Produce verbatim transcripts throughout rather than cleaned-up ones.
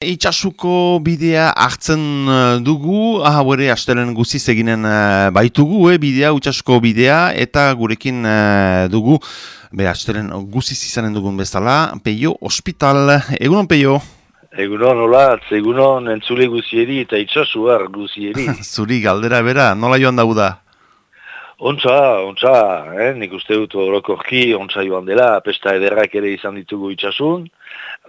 Itxasuko bidea hartzen dugu, aha bere astelen guziz eginen baitugu, eh, bidea, itxasuko bidea, eta gurekin uh, dugu, be astelen guziz izanen dugun bezala, Peio Hospital. Egunon, Peio? Egunon, hola, egunon entzule guzieri eta itxasuar guzieri. Zuri galdera bera, nola joan dauda? Ontsa, ontsa, eh? Nik uste dut orokorki ontsa joan dela, pesta ederrak ere izan ditugu itxasun,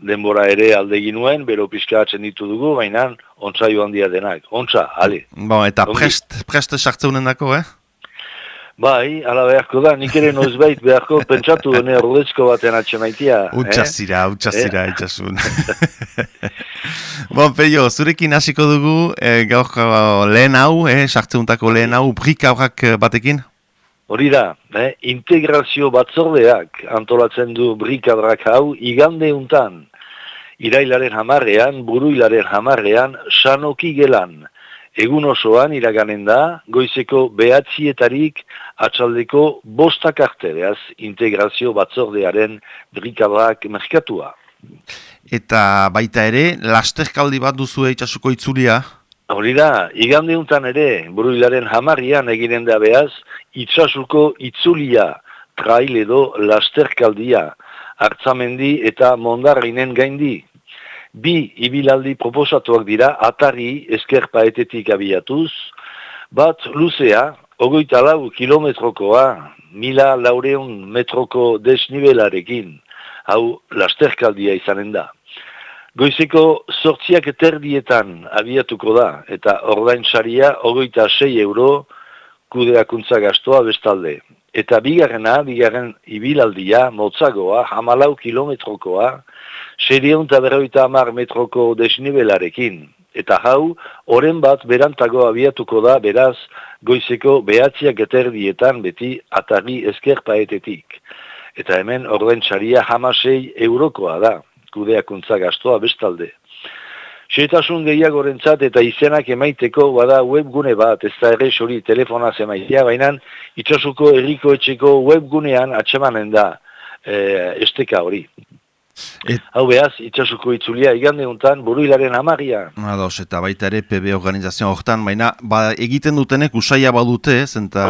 denbora ere aldegin nuen, bero pizkatzen ditu dugu, baina ontsa joan dia denak. Ontsa, ale. Bon, eta prest, prest sartzeunen dako, eh? Bai, ala beharko da, nik ere noizbait beharko pentsatu dene ordezko baten atxemaitia. Utxazira, eh? utxazira, eh? itxasun. Bon, Peio, zurekin hasiko dugu, eh, gaur lehen hau, eh, sartzeuntako lehen hau, brik aurrak batekin? Hori da, eh? Integrazio batzordeak antolatzen du brikadrak hau igande untan. Irailaren hamarrean, buruilaren hamarrean, sanoki gelan. Egun osoan iraganen da, goizeko behatzietarik atxaldeko bostak artereaz integrazio batzordearen brikadrak merkatua. Eta baita ere, lasterkaldi bat duzu itxasuko itzulia? Hori da, igande untan ere, buruilaren hamarrian eginen da behaz, itxasuko itzulia, trail edo lasterkaldia, hartzamendi eta mondarrinen gaindi. Bi ibilaldi proposatuak dira, atari eskerpaetetik abiatuz, bat luzea, ogoita lau kilometrokoa, mila laureun metroko desnibelarekin, hau lasterkaldia izanen da. Goizeko sortziak terdietan abiatuko da, eta ordain saria ogoita sei euro kudeakuntza gastoa bestalde. Eta bigarrena, bigarren ibilaldia, motzagoa, hamalau kilometrokoa, seiehun eta berrogeita hamar metroko desnibelarekin. Eta hau, oren bat berantago abiatuko da, beraz, goizeko behatziak eterdietan beti atari eskerpaetetik. Eta hemen ordain saria hamasei eurokoa da, kudeakuntza gastoa bestalde. Xetasun gehiagorentzat eta izenak emaiteko bada webgune bat, ez da ere hori telefonaz emaitea, baina itxasuko herriko etxeko webgunean atsemanen da e, esteka hori. Et... Hau behaz, itxasuko itzulia igande untan buruilaren hamarria. Ados, eta baita ere P B organizazioa hortan, baina ba, egiten dutenek usaia badute, zenta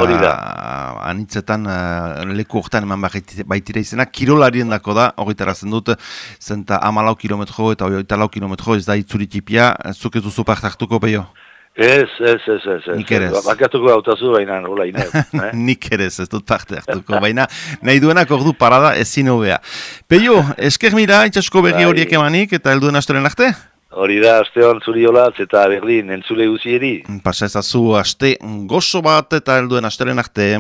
anitzetan uh, leku hortan eman baitira izena, kirolarien dako da, horretarazen dut, zenta hamalau kilometro eta horreta lau kilometro ez da itzulitipia, zuk ez duzu parte hartuko, Peio? Ez, ez, ez, ez, ez. Nik ere ez. Bakatuko gautazu baina, hola, ine. Eh? Nik ere ez, ez dut parte hartuko, baina nahi duenak ordu parada ezin hobea. Peio, esker mira, itxasuko berri horiek emanik, eta helduen astoren arte? Hori da, aste hon zuri holatz eta berdin, entzule guzieri. Pasa ezazu, aste gozo bat eta helduen astoren arte.